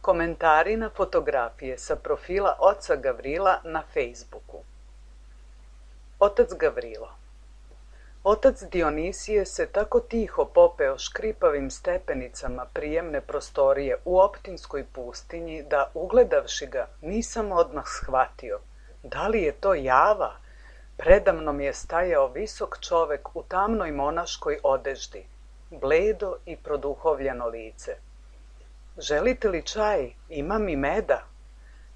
Komentari na fotografije sa profila oca Gavrila na Facebooku. Otac Gavrilo. Otac Dionisije se tako tiho popeo škripavim stepenicama prijemne prostorije u Optinskoj pustinji da, ugledavši ga, nisam odmah shvatio da li je to java. Predamnom je stajao visok čovek u tamnoj monaškoj odeždi, bledo i produhovljeno lice. Želite li čaj? Imam i meda.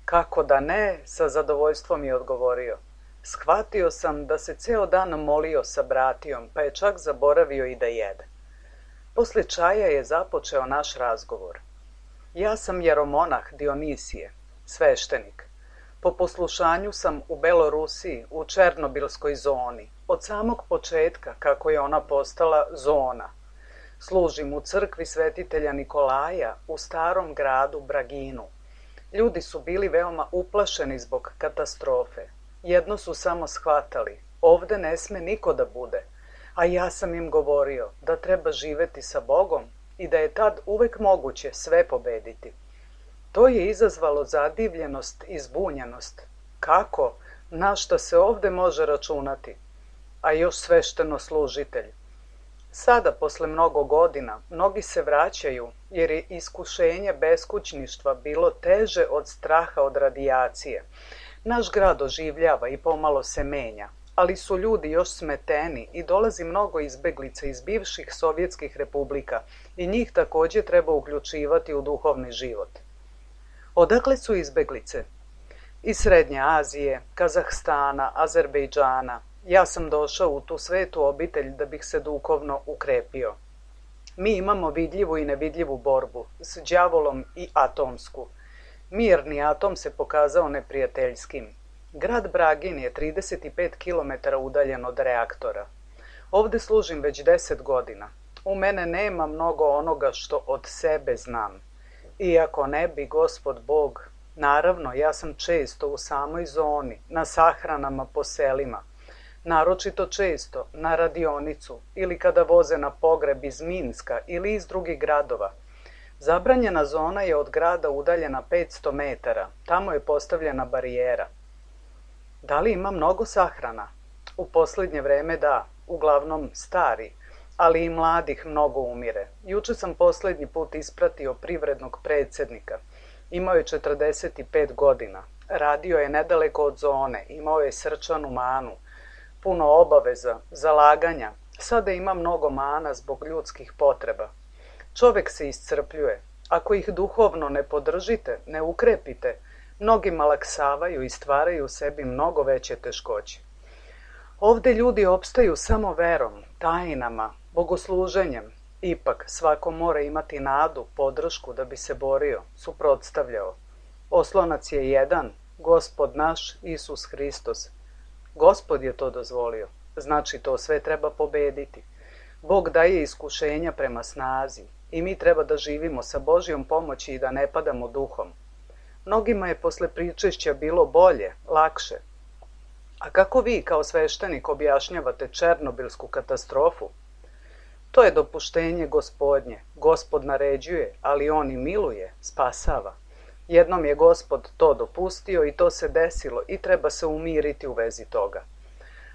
Kako da ne, sa zadovoljstvom je odgovorio. Shvatio sam da se ceo dan molio sa bratijom, pa je čak zaboravio i da jede. Posle čaja je započeo naš razgovor. Ja sam jeromonah Dionisije, sveštenik. Po poslušanju sam u Belorusiji, u Černobilskoj zoni, od samog početka kako je ona postala zona. Služim u crkvi svetitelja Nikolaja u starom gradu Braginu. Ljudi su bili veoma uplašeni zbog katastrofe. Jedno su samo shvatali, ovde ne sme niko da bude, a ja sam im govorio da treba živeti sa Bogom i da je tad uvek moguće sve pobediti. To je izazvalo zadivljenost i zbunjenost. Kako? Na šta se ovde može računati? A još svešteno-služitelj. Sada, posle mnogo godina, mnogi se vraćaju jer je iskušenje beskućništva bilo teže od straha od radijacije. Naš grad oživljava i pomalo se menja, ali su ljudi još smeteni i dolazi mnogo izbeglica iz bivših sovjetskih republika i njih takođe treba uključivati u duhovni život. Odakle su izbeglice? Iz Srednje Azije, Kazahstana, Azerbejdžana. Ja sam došao u tu svetu obitelj da bih se duhovno ukrepio. Mi imamo vidljivu i nevidljivu borbu s đavolom i atomsku. Mirni atom se pokazao neprijateljskim. Grad Bragin je 35 km udaljen od reaktora. Ovde služim već 10 godina. U mene nema mnogo onoga što od sebe znam. Iako ne bi Gospod Bog, naravno ja sam često u samoj zoni, na sahranama po selima. Naročito često na radionicu ili kada voze na pogreb iz Minska ili iz drugih gradova. Zabranjena zona je od grada udaljena 500 metara. Tamo je postavljena barijera. Da li ima mnogo sahrana? U poslednje vreme da, uglavnom stari, ali i mladih mnogo umire. Juče sam poslednji put ispratio privrednog predsednika. Imao je 45 godina. Radio je nedaleko od zone, imao je srčanu manu. Puno obaveza, zalaganja. Sada ima mnogo mana zbog ljudskih potreba. Čovek se iscrpljuje. Ako ih duhovno ne podržite, ne ukrepite, mnogi malaksavaju i stvaraju sebi mnogo veće teškoće. Ovde ljudi opstaju samo verom, tajnama, bogosluženjem. Ipak, svako mora imati nadu, podršku da bi se borio, suprotstavljao. Oslonac je jedan, Gospod naš, Isus Hristos. Gospod je to dozvolio, znači to sve treba pobediti. Bog daje iskušenja prema snazi i mi treba da živimo sa Božjom pomoći i da ne padamo duhom. Mnogima je posle pričešća bilo bolje, lakše. A kako vi kao sveštenik objašnjavate Černobilsku katastrofu? To je dopuštenje Gospodnje. Gospod naređuje, ali on i miluje, spasava. Jednom je Gospod to dopustio i to se desilo i treba se umiriti u vezi toga.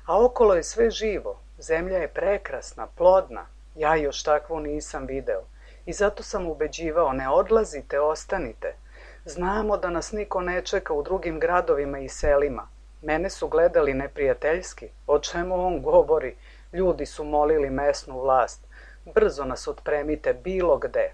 A okolo je sve živo. Zemlja je prekrasna, plodna. Ja još takvu nisam video. I zato sam ubeđivao, ne odlazite, ostanite. Znamo da nas niko ne čeka u drugim gradovima i selima. Mene su gledali neprijateljski. O čemu on govori? Ljudi su molili mesnu vlast. Brzo nas otpremite bilo gde.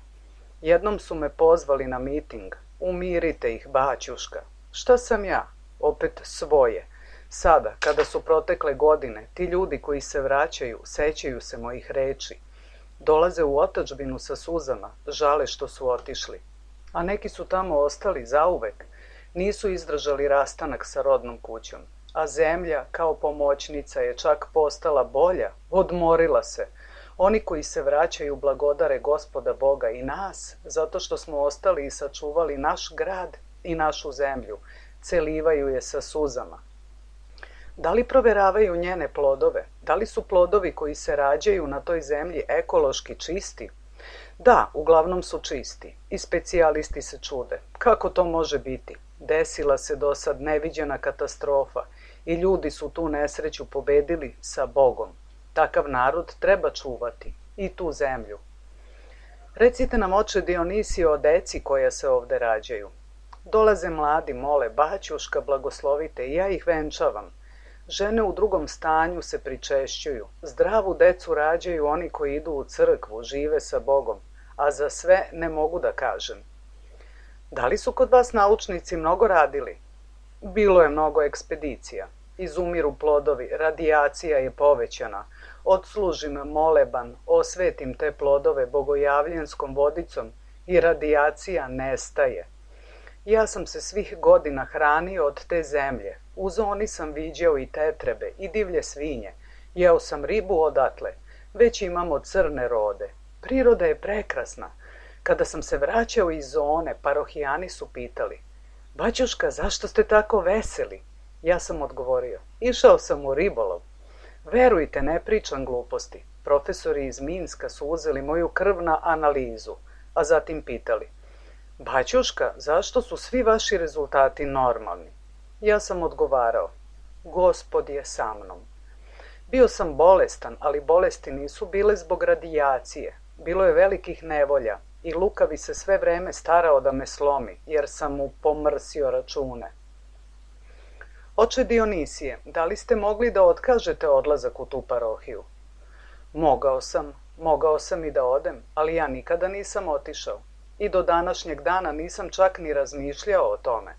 Jednom su me pozvali na miting. Umirite ih, baćuška. Šta sam ja? Opet svoje. Sada, kada su protekle godine, ti ljudi koji se vraćaju, sećaju se mojih reči. Dolaze u otadžbinu sa suzama, žale što su otišli. A neki su tamo ostali zauvek. Nisu izdržali rastanak sa rodnom kućom. A zemlja, kao pomoćnica, je čak postala bolja, odmorila se. Oni koji se vraćaju blagodare Gospoda Boga i nas, zato što smo ostali i sačuvali naš grad i našu zemlju, celivaju je sa suzama. Da li proveravaju njene plodove? Da li su plodovi koji se rađaju na toj zemlji ekološki čisti? Da, uglavnom su čisti i specijalisti se čude. Kako to može biti? Desila se do sad neviđena katastrofa i ljudi su tu nesreću pobedili sa Bogom. Takav narod treba čuvati i tu zemlju. Recite nam, oče Dionisije, o deci koja se ovde rađaju. Dolaze mladi, mole, baćuška, blagoslovite i ja ih venčavam. Žene u drugom stanju se pričešćuju. Zdravu decu rađaju oni koji idu u crkvu, žive sa Bogom, a za sve ne mogu da kažem. Da li su kod vas naučnici mnogo radili? Bilo je mnogo ekspedicija. Izumiru plodovi, radijacija je povećana. Odslužim moleban, osvetim te plodove bogojavljenskom vodicom i radijacija nestaje. Ja sam se svih godina hranio od te zemlje. U zoni sam viđao i tetrebe i divlje svinje. Jeo sam ribu odatle. Već imamo crne rode. Priroda je prekrasna. Kada sam se vraćao iz zone, parohijani su pitali: Baćuška, zašto ste tako veseli? Ja sam odgovorio: išao sam u ribolov. Verujte, ne pričam gluposti. Profesori iz Minska su uzeli moju krv na analizu, a zatim pitali: Baćuška, zašto su svi vaši rezultati normalni? Ja sam odgovarao: Gospod je sa mnom. Bio sam bolestan, ali bolesti nisu bile zbog radijacije. Bilo je velikih nevolja i lukavi se sve vreme starao da me slomi, jer sam mu pomrsio račune. Oče Dionisije, da li ste mogli da otkažete odlazak u tu parohiju? Mogao sam i da odem, ali ja nikada nisam otišao. I do današnjeg dana nisam čak ni razmišljao o tome.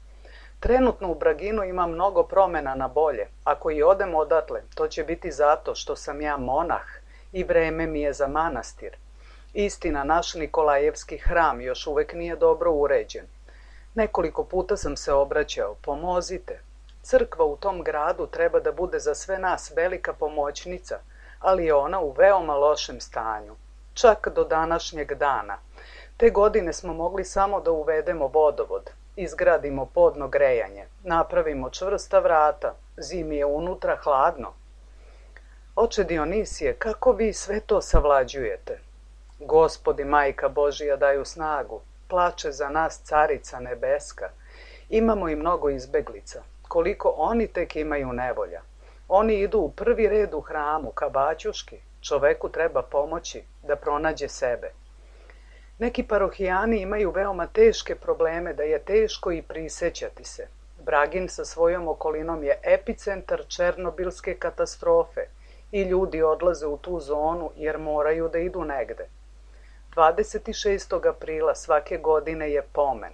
Trenutno u Braginu ima mnogo promena na bolje. Ako i odem odatle, to će biti zato što sam ja monah i vreme mi je za manastir. Istina, naš Nikolajevski hram još uvek nije dobro uređen. Nekoliko puta sam se obraćao: pomozite. Crkva u tom gradu treba da bude za sve nas velika pomoćnica, ali je ona u veoma lošem stanju. Čak do današnjeg dana. Te godine smo mogli samo da uvedemo vodovod, izgradimo podno grejanje, napravimo čvrsta vrata, zimi je unutra hladno. Oče Dionisije, kako vi sve to savlađujete? Gospodi, Majka Božija daju snagu, plače za nas Carica Nebeska. Imamo i mnogo izbeglica. Koliko oni tek imaju nevolja. Oni idu u prvi red u hramu, ka baćuški. Čoveku treba pomoći da pronađe sebe. Neki parohijani imaju veoma teške probleme da je teško i prisećati se. Bragin sa svojom okolinom je epicentar Černobilske katastrofe i ljudi odlaze u tu zonu jer moraju da idu negde. 26. aprila svake godine je pomen.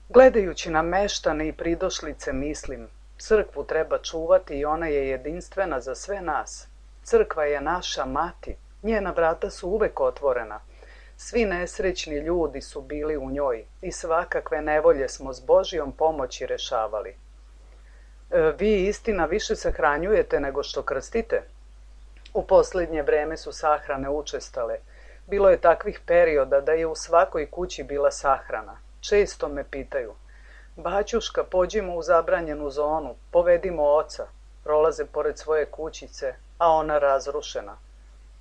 Gledajući na meštane i pridošlice mislim, crkvu treba čuvati i ona je jedinstvena za sve nas. Crkva je naša mati, njena vrata su uvek otvorena. Svi nesrećni ljudi su bili u njoj i svakakve nevolje smo s Božijom pomoći rešavali. Vi, istina, više sahranjujete nego što krstite? U poslednje vreme su sahrane učestale. Bilo je takvih perioda da je u svakoj kući bila sahrana. Često me pitaju: Baćuška, pođimo u zabranjenu zonu, povedimo oca. Prolaze pored svoje kućice, a ona razrušena.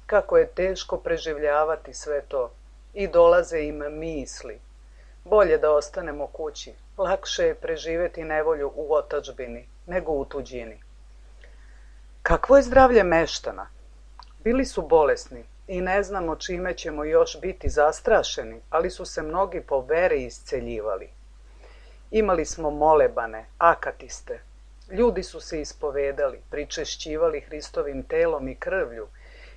Kako je teško preživljavati sve to. I dolaze im misli. Bolje da ostanemo kući. Lakše je preživeti nevolju u otadžbini nego u tuđini. Kakvo je zdravlje meštana? Bili su bolesni i ne znamo čime ćemo još biti zastrašeni, ali su se mnogi po veri isceljivali. Imali smo molebane, akatiste. Ljudi su se ispovedali, pričešćivali Hristovim telom i krvlju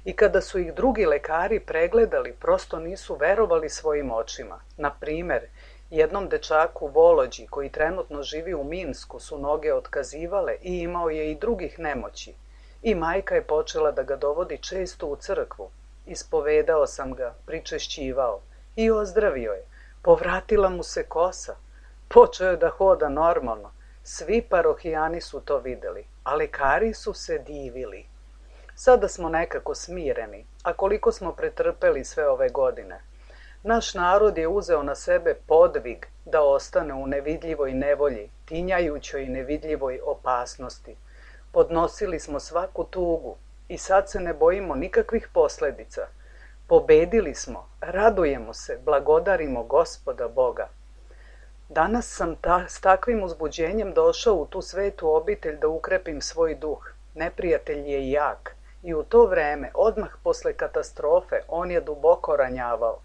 i kada su ih drugi lekari pregledali, prosto nisu verovali svojim očima. Na primer, jednom dečaku Volođi, koji trenutno živi u Minsku, su noge otkazivale i imao je i drugih nemoći. I majka je počela da ga dovodi često u crkvu. Ispovedao sam ga, pričešćivao i ozdravio je. Povratila mu se kosa. Počeo je da hoda normalno. Svi parohijani su to videli, a lekari su se divili. Sada smo nekako smireni, a koliko smo pretrpeli sve ove godine. Naš narod je uzeo na sebe podvig da ostane u nevidljivoj nevolji, tinjajućoj nevidljivoj opasnosti. Podnosili smo svaku tugu i sad se ne bojimo nikakvih posledica. Pobedili smo, radujemo se, blagodarimo Gospoda Boga. Danas sam s takvim uzbuđenjem došao u tu svetu obitelj da ukrepim svoj duh. Neprijatelj je jak i u to vreme, odmah posle katastrofe, on je duboko ranjavao.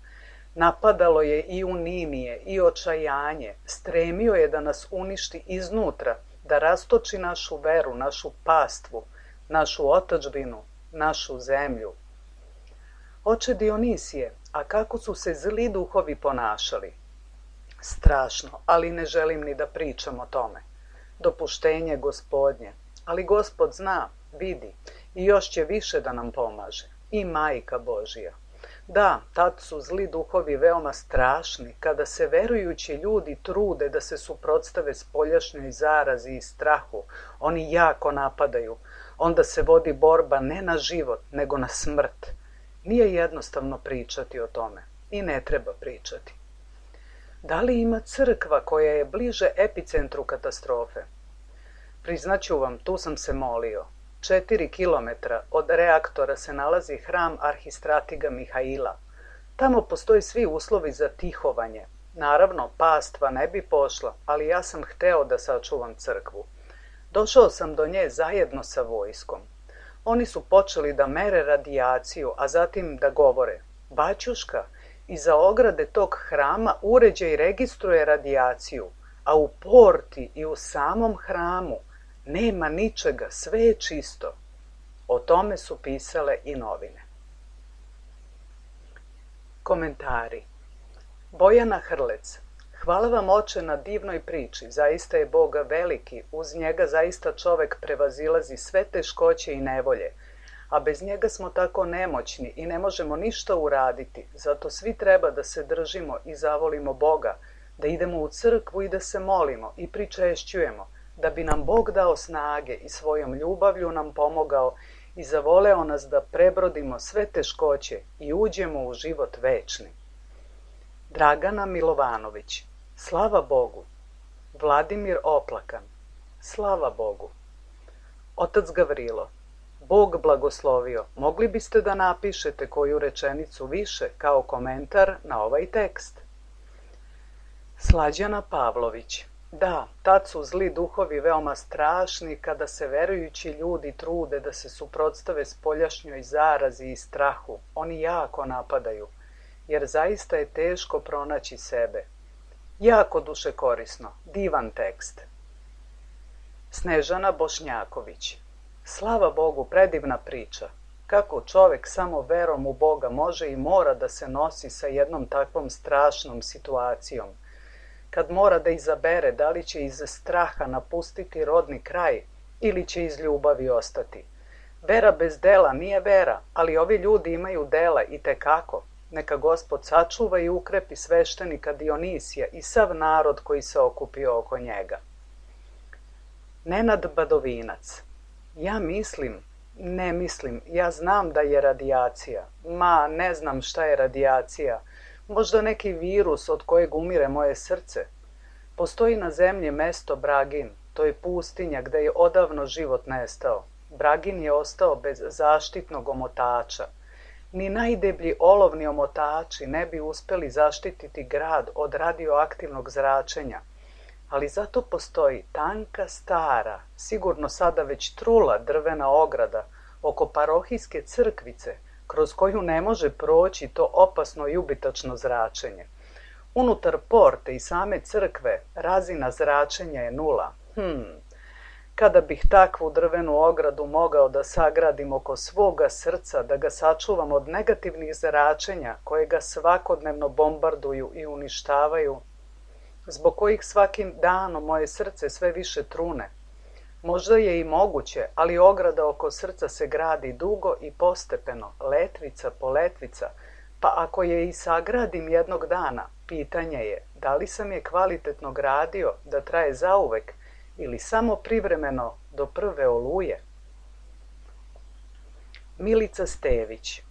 Napadalo je i unimije i očajanje, stremio je da nas uništi iznutra, da rastoči našu veru, našu pastvu, našu otadžbinu, našu zemlju. Oče Dionisije, a kako su se zli duhovi ponašali? Strašno, ali ne želim ni da pričam o tome. Dopuštenje Gospodnje, ali Gospod zna, vidi i još će više da nam pomaže. I Majka Božija. Da, tad su zli duhovi veoma strašni, kada se verujući ljudi trude da se suprotstave spoljašnjoj zarazi i strahu, oni jako napadaju. Onda se vodi borba ne na život, nego na smrt. Nije jednostavno pričati o tome i ne treba pričati. Da li ima crkva koja je bliže epicentru katastrofe? Priznaću vam, tu sam se molio. 4 kilometra od reaktora se nalazi hram arhistratiga Mihaila. Tamo postoji svi uslovi za tihovanje. Naravno, pastva ne bi pošla, ali ja sam hteo da sačuvam crkvu. Došao sam do nje zajedno sa vojskom. Oni su počeli da mere radijaciju, a zatim da govore: Baćuška, iza ograde tog hrama uređaj registruje radijaciju, a u porti i u samom hramu nema ničega, sve je čisto. O tome su pisale i novine. Komentari. Bojana Hrlec. Hvala vam, oče, na divnoj priči. Zaista je Bog veliki, uz njega zaista čovek prevazilazi sve teškoće i nevolje, a bez njega smo tako nemoćni i ne možemo ništa uraditi. Zato svi treba da se držimo i zavolimo Boga, da idemo u crkvu i da se molimo i pričešćujemo, da bi nam Bog dao snage i svojom ljubavlju nam pomogao i zavoleo nas da prebrodimo sve teškoće i uđemo u život večni. Dragana Milovanović. Slava Bogu. Vladimir Oplakan. Slava Bogu. Otac Gavrilo. Bog blagoslovio. Mogli biste da napišete koju rečenicu više kao komentar na ovaj tekst? Slađana Pavlović. Da, tad su zli duhovi veoma strašni kada se verujući ljudi trude da se suprotstave spoljašnjoj zarazi i strahu. Oni jako napadaju, jer zaista je teško pronaći sebe. Jako dušekorisno, divan tekst. Snežana Bošnjaković. Slava Bogu, predivna priča. Kako čovek samo verom u Boga može i mora da se nosi sa jednom takvom strašnom situacijom. Kad mora da izabere da li će iz straha napustiti rodni kraj ili će iz ljubavi ostati. Vera bez dela nije vera, ali ovi ljudi imaju dela i tekako. Neka Gospod sačuva i ukrepi sveštenika Dionisija i sav narod koji se okupio oko njega. Nenad Badovinac. Ja znam da je radijacija. Ne znam šta je radijacija. Možda neki virus od kojeg umire moje srce. Postoji na zemlji mesto Bragin. To je pustinja gde je odavno život nestao. Bragin je ostao bez zaštitnog omotača. Ni najdeblji olovni omotači ne bi uspeli zaštititi grad od radioaktivnog zračenja. Ali zato postoji tanka, stara, sigurno sada već trula drvena ograda oko parohijske crkvice, kroz koju ne može proći to opasno i ubitačno zračenje. Unutar porte i same crkve razina zračenja je 0. Kada bih takvu drvenu ogradu mogao da sagradim oko svoga srca, da ga sačuvam od negativnih zračenja koje ga svakodnevno bombarduju i uništavaju, zbog kojih svakim danom moje srce sve više trune. Možda je i moguće, ali ograda oko srca se gradi dugo i postepeno, letvica po letvica, pa ako je i sagradim jednog dana, pitanje je da li sam je kvalitetno gradio da traje zauvek ili samo privremeno do prve oluje. Milica Stević.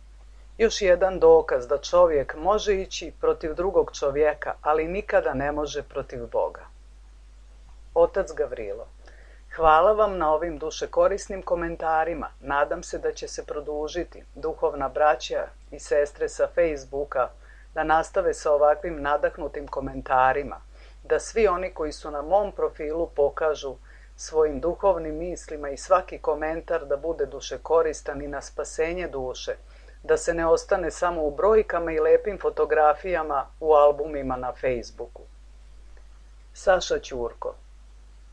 Još jedan dokaz da čovjek može ići protiv drugog čovjeka, ali nikada ne može protiv Boga. Otac Gavrilo. Hvala vam na ovim dušekorisnim komentarima. Nadam se da će se produžiti duhovna braća i sestre sa Facebooka da nastave sa ovakvim nadahnutim komentarima, da svi oni koji su na mom profilu pokažu svojim duhovnim mislima i svaki komentar da bude dušekoristan i na spasenje duše, da se ne ostane samo u brojkama i lepim fotografijama u albumima na Facebooku. Saša Ćurko.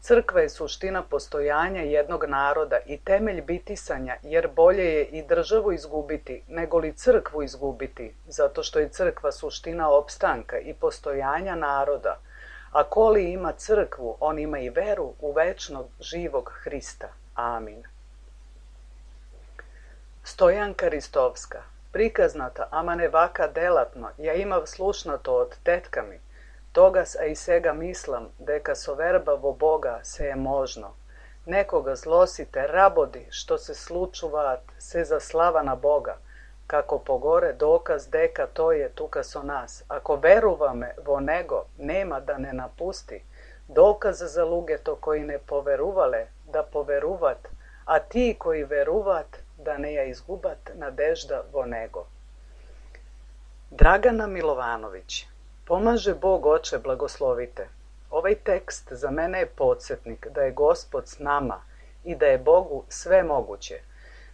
Crkva je suština postojanja jednog naroda i temelj bitisanja, jer bolje je i državu izgubiti nego li crkvu izgubiti, zato što je crkva suština opstanka i postojanja naroda. A ko li ima crkvu, on ima i veru u večnog živog Hrista. Amin. Stojanka Ristovska. Prikaznata, ama ne vaka delatno, ja imav slušnato od tetkami, togas a i sega mislim, deka so verba vo Boga se je možno. Nekoga zlosite rabodi, što se slučuvat, se za slava na Boga, kako pogore dokaz deka to je tuka so nas. Ako veruvame vo nego, nema da ne napusti, dokaz za luge to koji ne poveruvale, da poveruvat, a ti koji veruvat, da ne ja izgubat nadežda vo nego. Dragana Milovanović. Pomaže Bog, Oče, blagoslovite. Ovaj tekst za mene je podsjetnik da je Gospod s nama i da je Bogu sve moguće.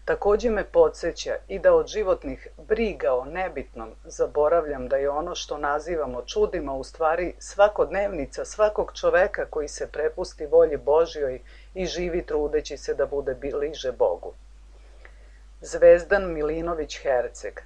Također me podsjeća i da od životnih briga o nebitnom zaboravljam da je ono što nazivamo čudima u stvari svakodnevnica svakog čoveka koji se prepusti volji Božjoj i živi trudeći se da bude bliže Bogu. Zvezdan Milinović Herceg.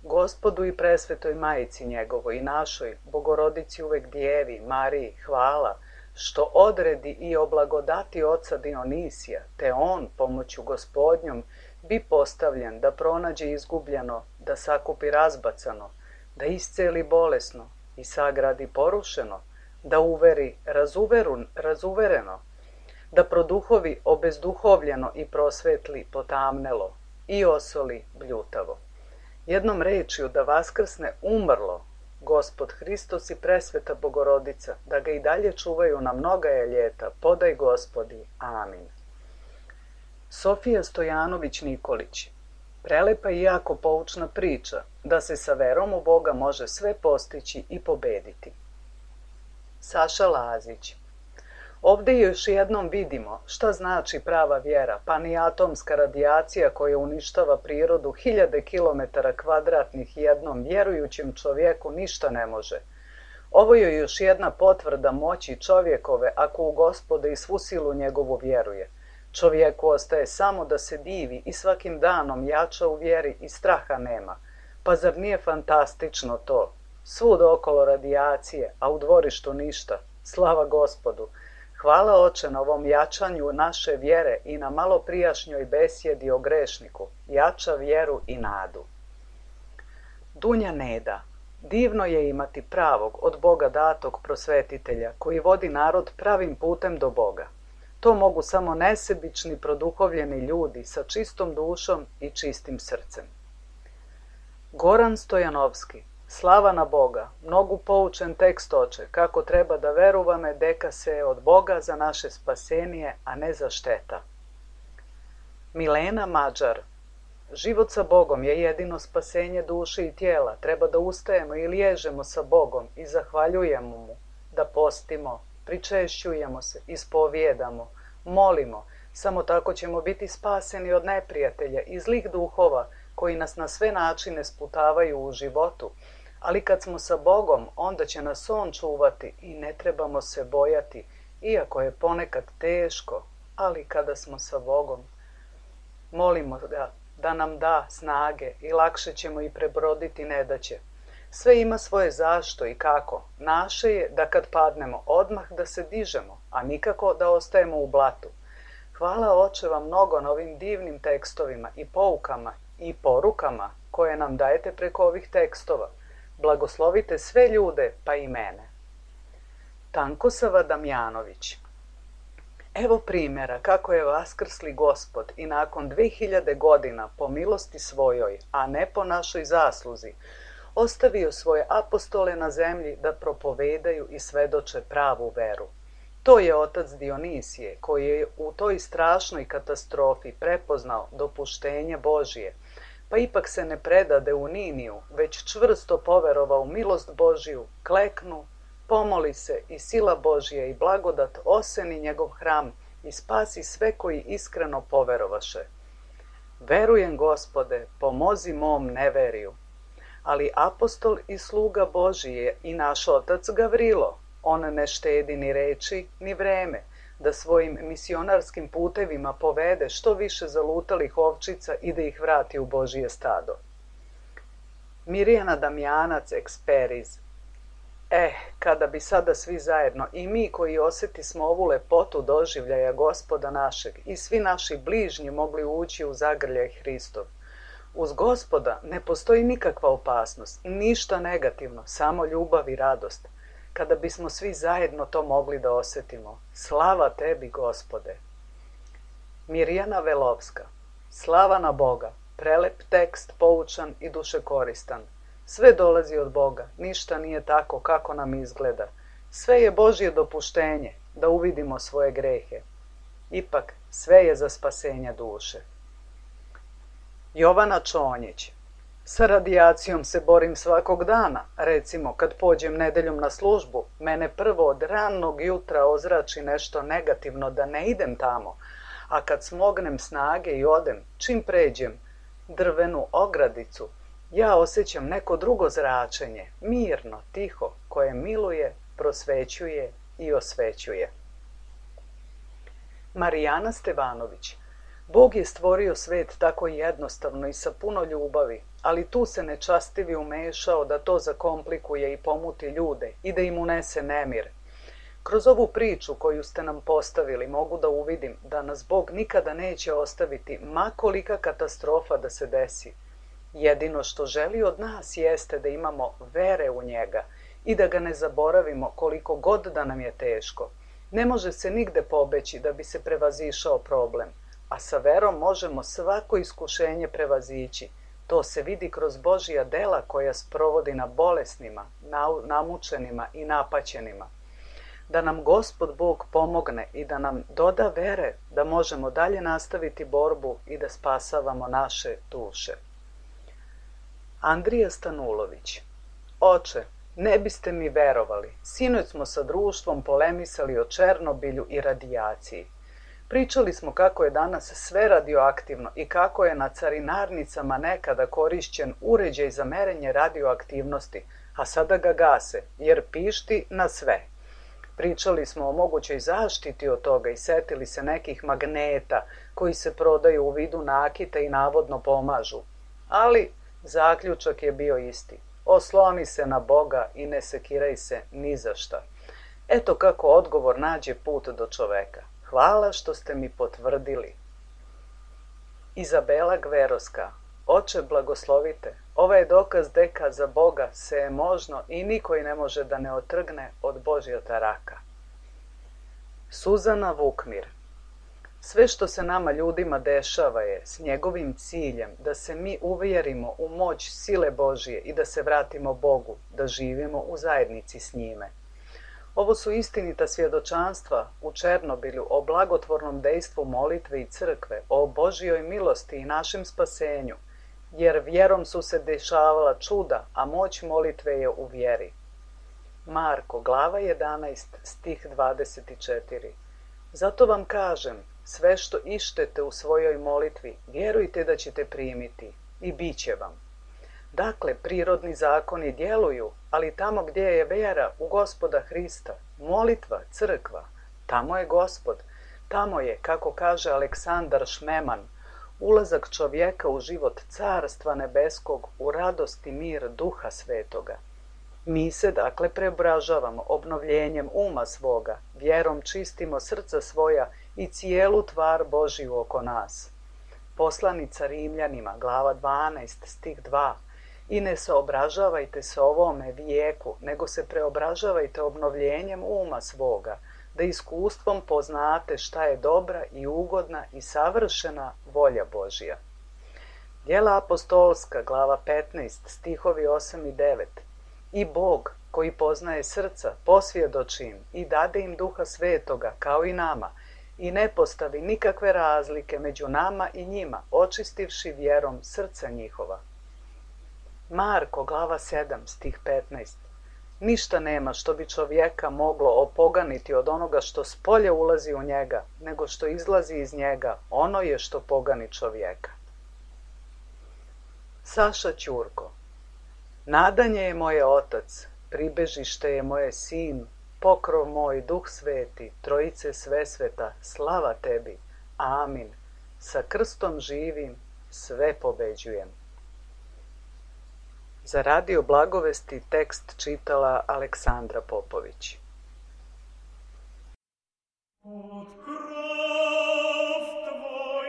Gospodu i presvetoj majici njegovoj i našoj, Bogorodici uvek djevi, Mariji, hvala, što odredi i oblagodati oca Dionisija, te on, pomoću Gospodnjom, bi postavljen da pronađe izgubljeno, da sakupi razbacano, da isceli bolesno i sagradi porušeno, da uveri razuvereno, da produhovi obezduhovljeno i prosvetli potamnelo i osoli bljutavo. Jednom rečju da vaskrsne umrlo Gospod Hristos i presveta Bogorodica, da ga i dalje čuvaju na mnoga je ljeta, podaj Gospodi. Amin. Sofija Stojanović Nikolić. Prelepa i jako poučna priča da se sa verom u Boga može sve postići i pobediti. Saša Lazić. Ovdje još jednom vidimo šta znači prava vjera, pa ni atomska radijacija koja uništava prirodu hiljade kilometara kvadratnih jednom vjerujućem čovjeku ništa ne može. Ovo je još jedna potvrda moći čovjekove ako u Gospoda i svu silu njegovu vjeruje. Čovjeku ostaje samo da se divi i svakim danom jača u vjeri i straha nema. Pa zar nije fantastično to? Svud okolo radijacije, a u dvorištu ništa. Slava Gospodu! Hvala Oče na ovom jačanju naše vjere i na malo prijašnjoj besjedi o grešniku. Jača vjeru i nadu. Dunja Neda. Divno je imati pravog, od Boga datog prosvetitelja, koji vodi narod pravim putem do Boga. To mogu samo nesebični, produhovljeni ljudi sa čistom dušom i čistim srcem. Goran Stojanovski. Slava na Boga, mnogu poučen tekst Oče, kako treba da veruvame deka se od Boga za naše spasenije, a ne za šteta. Milena Mađar. Život sa Bogom je jedino spasenje duše i tijela. Treba da ustajemo i liježemo sa Bogom i zahvaljujemo mu, da postimo, pričešćujemo se, ispovijedamo, molimo. Samo tako ćemo biti spaseni od neprijatelja i zlih duhova koji nas na sve načine sputavaju u životu. Ali kad smo sa Bogom, onda će nas on čuvati i ne trebamo se bojati, iako je ponekad teško, ali kada smo sa Bogom, molimo ga da nam da snage i lakše ćemo i prebroditi nedaće. Sve ima svoje zašto i kako. Naše je da kad padnemo odmah da se dižemo, a nikako da ostajemo u blatu. Hvala Oče vam mnogo na ovim divnim tekstovima i poukama i porukama koje nam dajete preko ovih tekstova. Blagoslovite sve ljude, pa i mene. Tankosava Damjanović. Evo primjera kako je vaskrsli Gospod i nakon 2000 godina po milosti svojoj, a ne po našoj zasluzi, ostavio svoje apostole na zemlji da propovedaju i svedoče pravu veru. To je otac Dionisije, koji je u toj strašnoj katastrofi prepoznao dopuštenje Božije, pa ipak se ne predade u Niniju, već čvrsto poverovao u milost Božiju, kleknu, pomoli se i sila Božija i blagodat oseni njegov hram i spasi sve koji iskreno poverovaše. Verujem, Gospode, pomozi mom neveriju. Ali apostol i sluga Božji je i naš otac Gavrilo. On ne štedi ni reči, ni vreme, da svojim misionarskim putevima povede što više zalutalih ovčica i da ih vrati u Božije stado. Mirjana Damjanac eksperiz. Kada bi sada svi zajedno, i mi koji osjetismo ovu lepotu doživljaja Gospoda našeg i svi naši bližnji mogli ući u zagrljaj Hristov. Uz Gospoda ne postoji nikakva opasnost, ništa negativno, samo ljubav i radost. Kada bismo svi zajedno to mogli da osjetimo. Slava tebi, Gospode! Mirjana Velovska. Slava na Boga. Prelep tekst, poučan i dušekoristan. Sve dolazi od Boga, ništa nije tako kako nam izgleda. Sve je Božje dopuštenje da uvidimo svoje grehe. Ipak, sve je za spasenje duše. Jovana Čonjić. Sa radijacijom se borim svakog dana. Recimo, kad pođem nedeljom na službu, mene prvo od ranog jutra ozrači nešto negativno da ne idem tamo, a kad smognem snage i odem, čim pređem drvenu ogradicu, ja osjećam neko drugo zračenje, mirno, tiho, koje miluje, prosvećuje i osvećuje. Marijana Stevanović. Bog je stvorio svet tako jednostavno i sa puno ljubavi, ali tu se nečastivi umešao da to zakomplikuje i pomuti ljude i da im unese nemir. Kroz ovu priču koju ste nam postavili mogu da uvidim da nas Bog nikada neće ostaviti, ma kolika katastrofa da se desi. Jedino što želi od nas jeste da imamo vere u njega i da ga ne zaboravimo koliko god da nam je teško. Ne može se nigde pobeći da bi se prevazišao problem, a sa verom možemo svako iskušenje prevazići. To se vidi kroz Božja dela koja sprovodi na bolesnima, namučenima i napaćenima. Da nam Gospod Bog pomogne i da nam doda vere da možemo dalje nastaviti borbu i da spasavamo naše duše. Andrija Stanulović. Oče, ne biste mi verovali, sinoć smo sa društvom polemisali o Černobilju i radijaciji. Pričali smo kako je danas sve radioaktivno i kako je na carinarnicama nekada korišćen uređaj za merenje radioaktivnosti, a sada ga gase, jer pišti na sve. Pričali smo o mogućoj zaštiti od toga i setili se nekih magneta koji se prodaju u vidu nakita i navodno pomažu. Ali zaključak je bio isti. Osloni se na Boga i ne sekiraj se ni za šta. Eto kako odgovor nađe put do čoveka. Hvala što ste mi potvrdili. Izabela Gveroska. Oče, blagoslovite. Ovo je dokaz deka za Boga se je možno i niko ne može da ne otrgne od Božja taraka. Suzana Vukmir. Sve što se nama ljudima dešava je s njegovim ciljem da se mi uvjerimo u moć sile Božije i da se vratimo Bogu, da živimo u zajednici s njime. Ovo su istinita svjedočanstva u Černobilju o blagotvornom dejstvu molitve i crkve, o Božjoj milosti i našem spasenju, jer vjerom su se dešavala čuda, a moć molitve je u vjeri. Marko, glava 11, stih 24. Zato vam kažem, sve što ištete u svojoj molitvi, vjerujte da ćete primiti i bit će vam. Dakle, prirodni zakoni djeluju, ali tamo gdje je vjera u Gospoda Hrista, molitva, crkva, tamo je Gospod. Tamo je, kako kaže Aleksandar Šmeman, ulazak čovjeka u život Carstva nebeskog, u radost i mir Duha Svetoga. Mi se, dakle, preobražavamo obnovljenjem uma svoga, vjerom čistimo srca svoja i cijelu tvar Božiju oko nas. Poslanica Rimljanima, glava 12, stih 2. I ne se obražavajte se ovome vijeku, nego se preobražavajte obnovljenjem uma svoga, da iskustvom poznate šta je dobra i ugodna i savršena volja Božja. Djela apostolska, glava 15, stihovi 8 i 9. I Bog, koji poznaje srca, posvjedoči im i dade im Duha Svetoga, kao i nama, i ne postavi nikakve razlike među nama i njima, očistivši vjerom srca njihova. Marko, glava 7, stih 15. Ništa nema što bi čovjeka moglo opoganiti od onoga što spolje ulazi u njega, nego što izlazi iz njega, ono je što pogani čovjeka. Saša Ćurko. Nadanje je moje otac, pribežište je moje sin, pokrov moj, Duh Sveti, Trojice Svesveta, slava tebi. Amin. Sa krstom živim, sve pobeđujem. Za Radio Blagovesti tekst čitala Aleksandra Popović. Od krov tvoj,